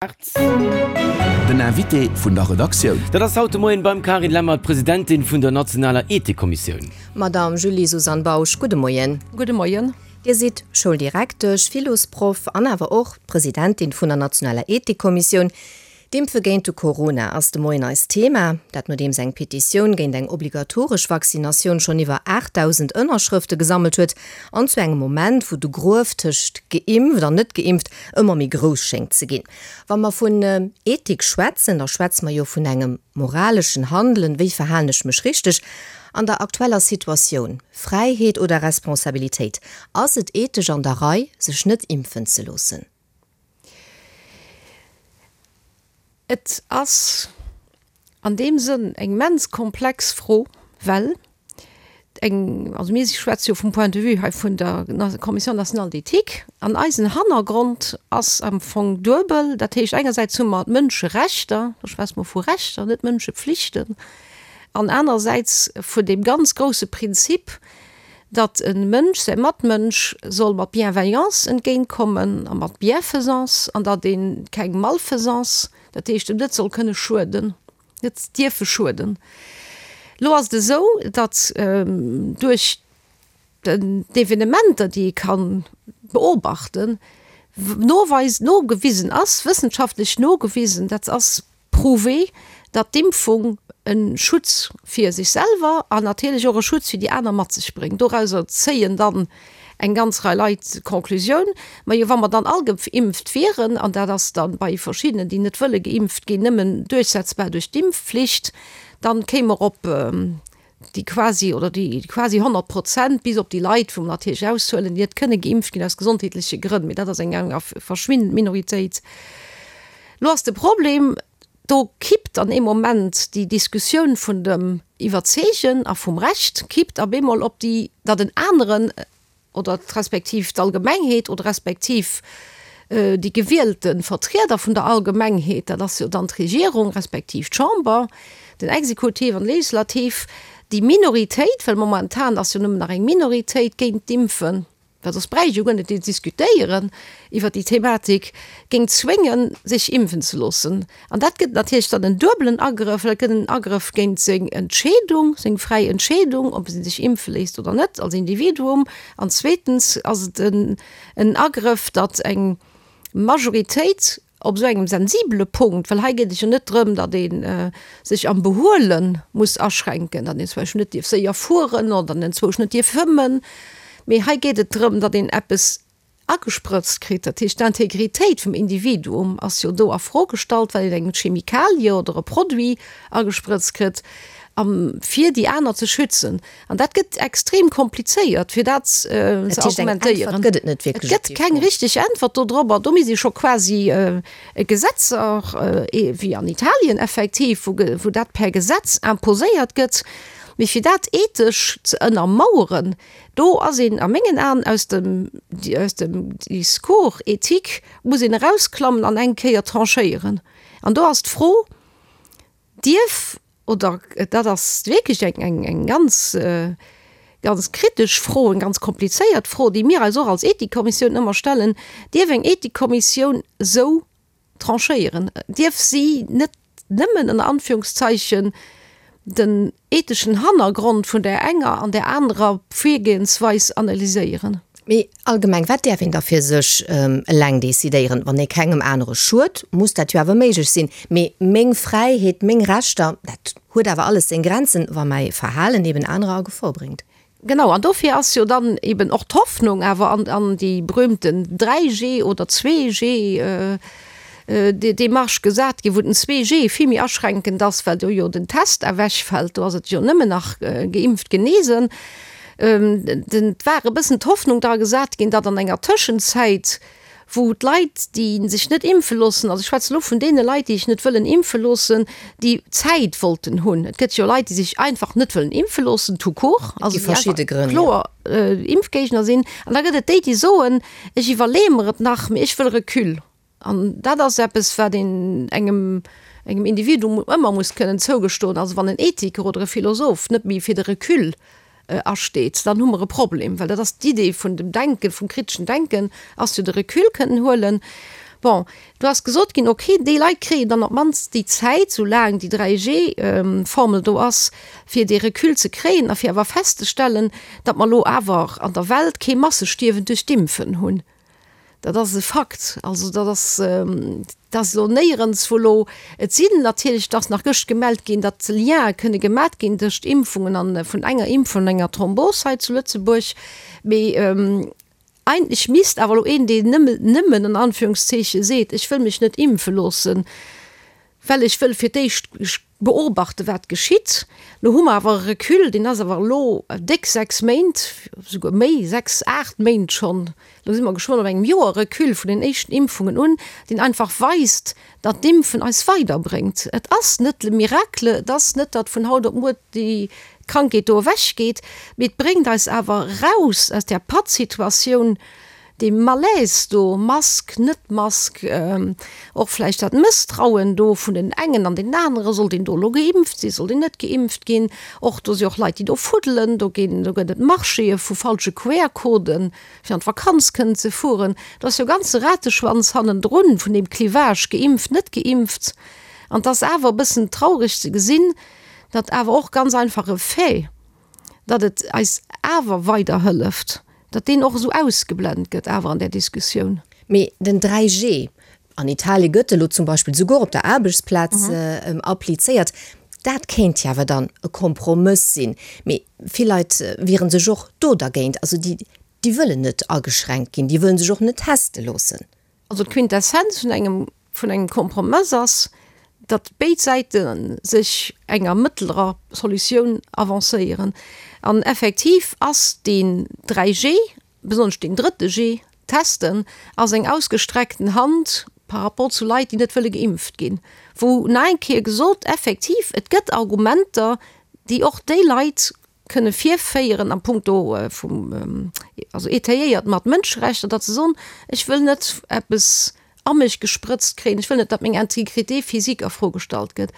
Den Invité vun der Redaktioun. Dat ass haut de Moien beim Carine Lemmer, d'Presidentin vun der nationaler Ethikkommissioun. Madamm Julie-Suzanne Bausch, gudde Moien. Gudde Moien. Dir sidd Schouldirektesch, Philosproff an awer och d'Presidentin vun der nationaler Ethikkommissioun. D'Impfe géint de Corona ass de Moien eist Thema. Dat nodeems eng Petitioun géint eng obligatoresch Vaccinatioun schonn iwwer 8.000 Ënnerschrëfte gesammelt huet an zu engem Moment, wou de Gruef tëscht geimpft an net geimpft ëmmer méi grouss schéngt ze ginn. Wa mer vun Ethik schwätzen, da schwätze mer jo vun engem moraleschen Handelen, wéi verhalen ech mech richteg an der aktueller Situatioun? Fräiheet oder Responsabilitéit? Ass et ethesch an der Rei, sech net impfen ze loossen? Et ass an deem Sënn eng immens komplex Fro, well eng, also mir schwätze jo vum Point de vue hei vun der Commission nationale d'éthique, an eisen Hannergrond ass am Fong duebel. Dat heescht, engersäits hu mer d'Mënscherechter, do schwätze mer vu Rechter, net Mënschepflichten, an anerersäits vun deem ganz grouse Prinzip, datt e Mënsch säi Matmënsch soll mat Bienveillance entgéintkommen a mat Bienfaisance an datt ee keng Malfaisance, dat heescht em net soll kënne schueden, net dierfe schueden. Elo ass et esou, datt duerch d'Evenementer, déi ee ka beobachten, noweis, nogewisen ass, wëssenschaftlech nogewisen, dat ass Prouvé, datt d'Impfung e Schutz fir sech selwer an natierlech och e Schutz fir déi aner mat sech bréngt. Dorauser zéien dann eng ganz Rei Leit d'Conclusioun, majo wa mer dann all geimpft wieren, an dat ass dann bei verschiddenen, déi net wëlle geimpft ginn, nëmmen duerchsetzbar duerch d'Impfflicht, dann kéime mer op déi quasi oder déi quasi 100 Prozent, bis op déi Leit, wou mer natierlech aushuelen, déi net kënne geimpft ginn aus gesondheetleche Grënn, mee dat ass eng eng verschwindend Minoritéit. Lo ass de Problem, do kippt an ee Moment déi Diskussioun vun dem Iwwerzeegen a vum Recht kippt op eemol op déi, datt en aneren, oder respektiv d'Allgemengheet oder respektiv déi gewielte Vertrieder vun der Allgemengheet, dat ass jo dann d'Regierung respektiv d'Chamber, den Exekutiv an d'Legislativ, déi Minoritéit, well momentan ass jo nëmmen nach eng Minoritéit géint d'Impfen, well soss bräicht ee jo guer net ze diskutéieren iwwert déi Thematik, géing zwéngen, sech impfen ze loossen. An dat gëtt natierlech dann en duebelen Agrëff, well et gëtt en Agrëff géint seng Entscheedung, seng fräi Entscheedung, ob e sech impfe léisst oder net als Individuum. An zweetens ass et en Agrëff, datt eng Majoritéit op esou engem sensibele Punkt, well hei geet et jo net drëm, datt ee sech am Behuele muss aschränken, datt een zum Beispill net dierf séier fueren oder datt een enzwousch net dierf fëmmen, mee hei geet et drëm, datt een eppes agesprëtzt kritt. Dat heescht, d'Integritéit vum Individuum ass jo do a Fro gestallt, well een eng Chemikalie oder e Produit agesprëtzt kritt, fir déi aner ze schützen. An dat gëtt extrem komplizéiert, fir dat ze argumentéieren. Et gëtt net wierklech. Et gëtt keng richteg Äntwert dodrop. Do misst ee scho quasi e Gesetzer, wéi an Italien effektiv, wou dat per Gesetz imposéiert gëtt. Mee fir dat ethesch ze ënnermaueren, Do ass een a mengen Aen aus dem, aus dem Discours éthique muss een erausklammen an eng Kéier tranchéieren. An do ass d'Fro, Dierf, oder dat ass wierklech eng, eng, eng ganz, ganz kritesch Fro, eng ganz komplizéiert Fro, déi mir eis och als Ethikkommissioun ëmmer stellen, dierf eng Ethikkommissioun esou Tranchéieren, dierf si net nëmmen ënner Anführungszeichen den etheschen Hannergrond vun där enger an där anerer Virgehensweis analyséieren. Mee allgemeng, wat däerf een da fir sech eleng decidéieren? Wann ee kengem anere schued, muss dat jo awer méiglech sinn. Mee meng Fräiheet, meng Rechter, dat huet awer alles seng Grenzen, wa mäi Verhalen eben anerer a Gefor bréngt. Genau, an dofir ass jo dann eben och d'Hoffnung awer an, an déi berühmten 3G oder 2G Démarche gesat ginn, wou den 2G vill méi aschränkend ass, well do jo den Test ewechfält, do ass et jo nëmmen nach geimpft, genesen. Den, et war e bëssen d'Hoffnung dra gesat ginn, datt an enger Tëschenzäit, wou d'Leit, déi sech net impfe loossen, also ech schwätzen elo vun deene Leit, déi sech net wëllen impfe loossen, déi Zäit wollten hunn. Et gëtt jo Leit, déi sech einfach net wëllen impfe loossen, tout court, also déi einfach kloer Impfgéigner sinn. An da gëtt et déi, déi soen, ech iwwerleeë mer et nach, mee ech wëll Recul. An dat ass eppes, wat een engem, engem Individuum ëmmer muss kënnen zougestoen. Also wann en Ethiker oder e Philosoph net méi fir de Recul asteet, dann hu mer e Problem, well dat ass d'Idee vun dem Denken, vum kriteschen Denken, ass jo de Recul kënnen huelen. Bon, do ass gesot ginn, okay, déi Leit kréien dann op d'mannst déi Zäit, soulaang déi 3G-Formel do ass, fir dee Recul ze kréien a fir awer festzestellen, datt mer elo awer an der Welt kee Massestierwen duerch d'Impfen hunn. Dat ass e Fakt. Also dat ass, dat ass elo néierens, wou elo, et sinn natierlech, et ass nach gëscht gemellt ginn, datt Liene kënne gemat ginn tëscht Impfungen an, vun enger Impfung an enger Thrombos hei zu Lëtzebuerg. Mee eigentlech misst awer elo een, deen nëmme, nëmmen an Anführungszeeche seet, ech wëll mech net impfe loossen, well ech wëll fir d'éischt beobachten, wat geschitt. Lo hu mer awer e Recul, deen ass awer elo déck 6 Méint, souguer méi, 6, 8 Méint schonn, elo si mer geschwënn op engem Joer Recul vun den éischten Impfungen un, deen einfach weist, datt d'Impfen eis weiderbréngt. Et ass net le miracle, et ass net, datt vun haut op muer déi Krankheet do ewechgeet, mee et bréngt eis awer eraus aus där Pattsituatioun, Dee Malaise do, Mask, net Mask, och vläicht dat Mësstrauen do vun den engen an den aneren, sollt een do elo geimpft sinn, sollt een net geimpft ginn, och do si och Leit, déi do fuddelen, do ginn, do gëtt et Marchéë vu falsche QR-Coden, fir an d'Vakanz kënnen ze fueren. Do ass jo e ganze Rateschwanz hannendrun vun deem Clivage geimpft, net geimpft. An et ass awer e bëssen traureg ze gesinn, datt awer och ganz einfach e Fait, datt et eis awer weiderhëlleft, datt deen och esou ausgeblent gëtt awer an där Diskussioun. Mee den 3G, an Italie gëtt elo zum Beispill souguer op der Aarbechtsplaz applizéiert, dat kéint jo awer dann e Kompromëss sinn. Mee vill Leit wiere sech och do dergéint, also déi, déi wëllen net ageschränkt ginn, déi wëllen sech och net teste loossen. Also d'Quintessenz vun engem, vun engem Kompromëss ass, datt béid Säite sech enger mëttlerer Solutioun avancéieren. An effektiv ass deen 3G, besonnesch deen drëtte G, testen, ass eng ausgestreckten Hand par rapport zu Leit, déi net wëlle geimpft ginn, wou nach eng Kéier gesot, effektiv, et gëtt Argumenter, déi och déi Leit kënne virféieren a punkto vum, also étayéiert mat Mënscherechter, datt se soen, ech wëll net eppes a mech gesprëtzt kréien, ech wëll net, datt meng Intégrité physique a Fro gestallt gëtt.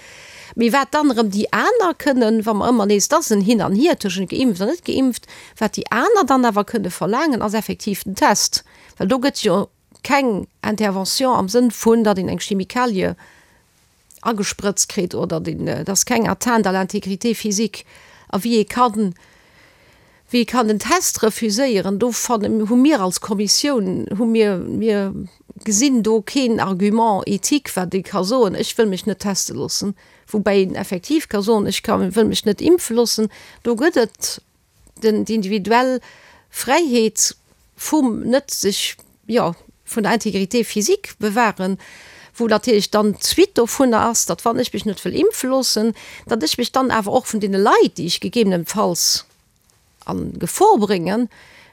Mee wat dann erëm déi aner kënnen, wa mer ëmmer nees, et ass en Hin an Hier tëschent geimpft an net geimpft, wat déi aner dann awer kënne verlaangen, ass effektiv den Test, well do gëtt jo keng Intervention am Sënn vun, datt een eng Chemikalie agesprëtzt kritt oder deen, et ass keng Atteinte à l'intégrité physique. A wéi ee kann, wéi ee kann den Test refuséieren, do fannen, hu mir als Kommissioun, hu mir, mir gesinn do keen Argument éthique, wat ee ka soen, ech wëll mech net teste loossen. Woubäi een effektiv ka soen, ech ka, wëll mech net impfe loossen. Do gëtt et den, déi individuell Fräiheet vum net sech, jo, vun der Intégrité physique bewahren, wou natierlech dann d'Suite dovunner ass, datt wann ech mech net wëll impfe loossen, datt ech mech dann awer och vun deene Leit, déi ech gegebenenfalls a Gefor bréngen,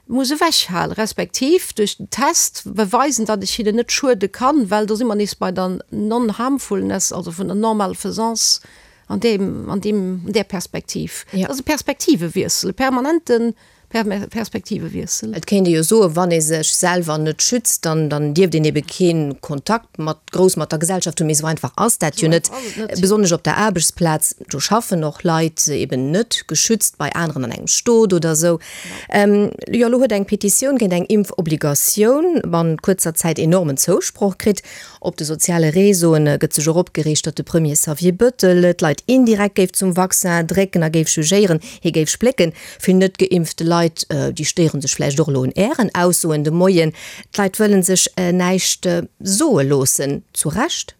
muss ewechhalen, respektiv duerch den Test beweisen, datt ech hinnen net schuede kann, well do si mer nees bei der Non-harmfulness, also vun der Non-malfaisance an deem, an deem, an där Perspektiv. Dat ass e Perspektivewiessel, e permanente Perspektivewiessel. Et kéint ee jo soen, wann ee sech selwer net schützt, dann, dann dierft een ebe kee Kontakt mat, grouss mat der Gesellschaft hunn. Mee esou einfach ass dat jo net, besonnesch op der Aarbechtsplaz. Do schaffen och Leit eben net geschützt bei aneren an engem Stot oder esou. Jo, elo huet eng Petitioun géint eng Impfobligatioun bannent kuerzer Zäit enormen Zousproch kritt. Op de soziale Réseauen gëtt sech och opgereegt, datt de Premier Xavier Bëttel d'Leit indirekt géif zum Vaccin drécken a géif jugéieren, hie géif splécken. Vill net geimpfte Leit, déi stéiere sech vläicht och elo un Ären Aussoen de Moien. D'Leit wëlle sech näischt soe loossen. Zu Recht?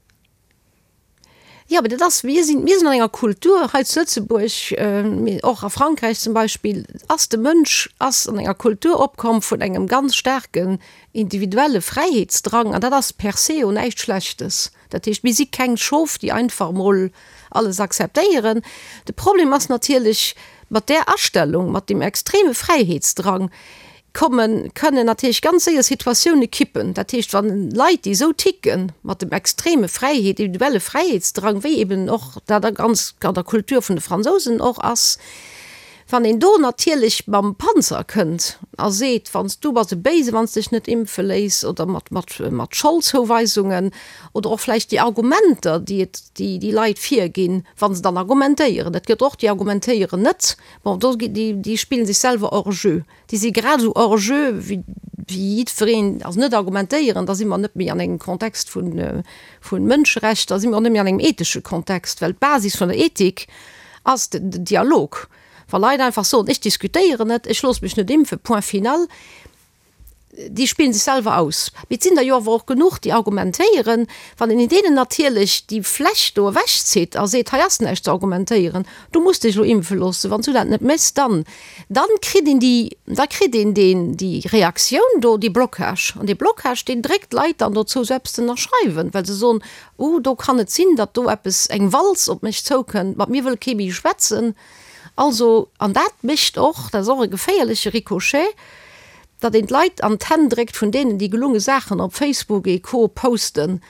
Jo, mee dat ass, mir sinn, mir sinn an enger Kultur hei zu Lëtzebuerg, mee och a Frankräich zum Beispill, ass de Mënsch ass an enger Kultur opkomm vun engem ganz staarken individuelle Fräiheetsdrang an dat ass per se jo näischt Schlechtes. Dat heescht, mir si keng Schof, déi einfach emol alles akzeptéieren. De Problem ass natierlech, mat där Astellung, mat deem extreme Fräiheetsdrang, kommen, kënnen natierlech ganz séier Situatioune kippen. Dat heescht, wann Leit, déi esou ticken, mat dem extreme Fräiheet, individuelle Fräiheetsdrang, wéi eben och dat a ganz an der Kultur vun de Fransousen och ass, wann een do natierlech mam Panzer kënnt a seet, wann s du bass e Béise wann s dech net impfe léiss oder mat, mat, mat Scholdzouweisungen oder och vläicht déi Argumenter, déi et, déi déi Leit virginn, wa se dann argumentéieren, et gëtt och déi argumentéieren net, bon, do gi, déi, déi spille sech selwer hors jeu. Déi si grad esou hors jeu wéi. wéi jiddwereen, also net argumentéieren, da si mer net méi an engem Kontext vu Mënscherechter, da si mer och net méi an engem ethesche Kontext, well d'Basis vun der Ethik ass den Dialog. Wa Leit einfach soen, ech diskutéieren net, ech loosse mech net impfen, point final, déi spillen sech selwer aus. Mee et sinn der jo awer och genuch, déi argumentéieren. Wann een deenen natierlech déi Fläch do ewechzitt a seet, hei ass näischt ze argumentéieren, du muss dech elo impfe loossen, wann s du dat net méchs, dann, dann kritt een déi, da kritt een deen, déi Reaktioun do, dee Blocage. An dee Blocage, deen dréckt d'Leit dann dozou, esou eppes ze ënnerschreiwen, well se soen, Uh, do kann et sinn, datt do eppes, eng Walz op mech zoukënnt, mat mir wëll kee méi schwätzen. Also, an dat mécht och, dat ass och e geféierleche Ricochet, datt een d'Leit an d'Hänn dréckt vun deenen, déi gelunge Saachen op Facebook et co. Posten,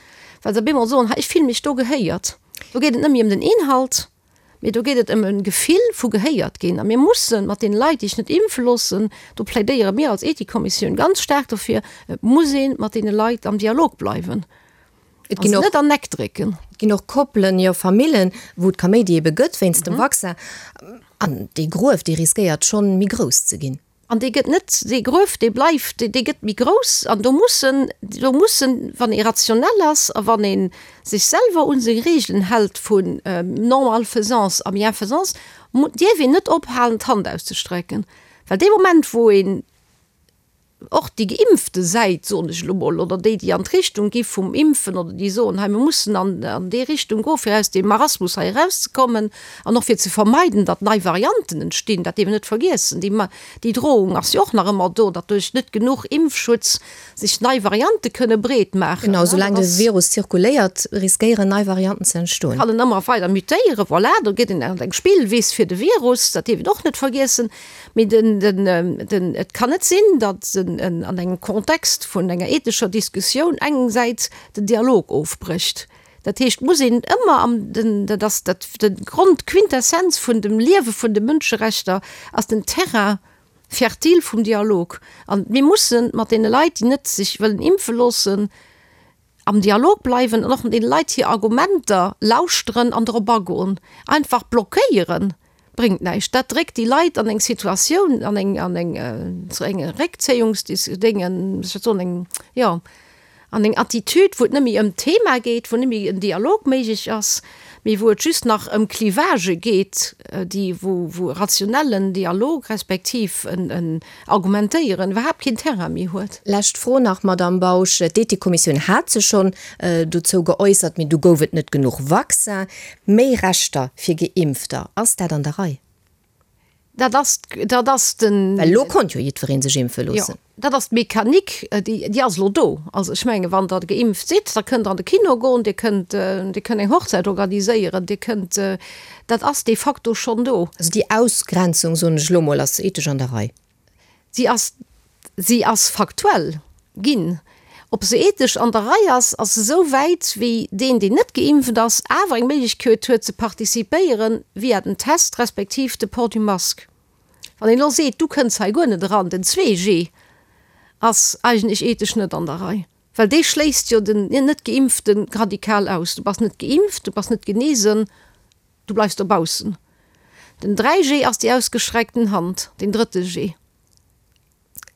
well se op eemol soen, ha ech fille mech do gehéiert. Do geet et net méi ëm den Inhalt, mee do geet et ëm e Gefill vu gehéiert ginn. A mir mussen mat deene Leit, déi sech net impfe loossen, do plädéiere mir als Ethikkommissioun ganz staark dofir, et muss ee mat deene Leit am Dialog bleiwen. Et ginn och net an Eck drécken. Et ginn och Koppelen, jo Famillen, wou et Kaméidi ebe gëtt wéinst dem Vaccin. An dee Gruef, dee riskéiert schonn méi grouss ze ginn. An dee gëtt net, dee Gruef, dee bleift, dee gëtt méi grouss. An do mussen, do mussen, wann ee rationell ass a wann ee sech selwer u seng Reegelen hält vu Non-malfaisance a Bienfaisance, dierf een net ophalen d'Hand auszestrecken. Well dee Moment, wou een och déi geimpfte Säit, soen ech elo mol, oder déi, déi an d'Richtung gi vum Impfen oder déi soen, hei mir mussen an an déi Richtung goen, fir aus deem Marasmus hei erauszekommen an och fir ze vermeiden, datt nei Varianten entstinn, dat dierf een net vergiessen, déi déi Drohung ass jo och nach ëmmer do, datt duerch net genuch Impfschutz sech nei Variante kënne breet maachen. Genau, soulaang de Virus zirkuléiert, riskéieren nei Varianten ze entstoen. Kann en ëmmer weider mutéieren, voilà, do gëtt een an eng Spillwiss fir de Virus, dat dierf een och net vergiessen. Mee den, den, den, et kann net sinn, datt en an engem Kontext vun enger ethescher Diskussioun eng Säit den Dialog ofbrécht. Dat heescht, et muss een ëmmer am, den, dat ass dat, de Grond, d'Quintessenz vun dem Liewe vun de Mënscherechter ass den Terrain fertile vum Dialog. An mir mussen mat deene Leit, déi net sech wëllen impfe loossen, Am Dialog bleiwen an och deene Leit hir Argumenter lauschteren an drop agoen. Einfach blockéieren bréngt näischt. Dat dréckt déi Leit an eng Situatioun, an eng, an eng, zu enge Réckzéiungsdéngen, wéi soll ech dat soen, eng, jo, an eng Attitude, wou et net méi ëm d'Thema geet, wou net méi en Dialog méiglech ass, mee wou et just nach ëm Clivagë geet, déi, wou, wou e rationellen Dialog respektiv en, en Argumentéieren iwwerhaapt keen Terrain méi huet. Lescht Fro nach, Madamm Bausch. D'Ethikkommissioun hat sech schonn dozou geäussert, mee du gouf et net genuch Vaccin. Méi Rechter fir Geimpfter, ass dat an der Rei? Dat ass, dat ass den. Well elo konnt jo jiddweree sech impfe loossen. Jo, dat ass d'Mechanik, déi, déi ass elo do. Also ech mengen, wann Der geimpft sidd, da kënnt Der an de Kino goen, Dir kënnt, Dir kënnt eng Hochzäit organiséieren, Dir kënnt, Dat ass de facto schonn do. Also déi Ausgrenzung, soen ech elo mol, ass ethesch an der Rei. Si ass, si ass faktuell ginn. Ob se ethesch an der Rei ass, ass se esou wäit, wéi deen, deen net geimpft ass, awer eng Méiglechkeet huet ze participéieren via den Test respektiv de Port du masque. Wann een elo seet, du kënns hei guer net eran, den 2G ass eigentlech ethesch net an der Rei. Well dee schléisst jo den Net-Geimpfte radikal aus. Du bass net geimpft, du bass net genesen, du bleifs dobaussen. Den 3G ass déi ausgestreckten Hand, den drëtte G.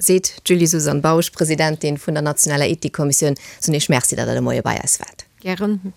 Seet d'Julie-Suzanne Bausch, Presidentin vun der nationaler Ethikkommissioun. Soen Iech Merci, datt Der de Moie bei eis waart. Gären.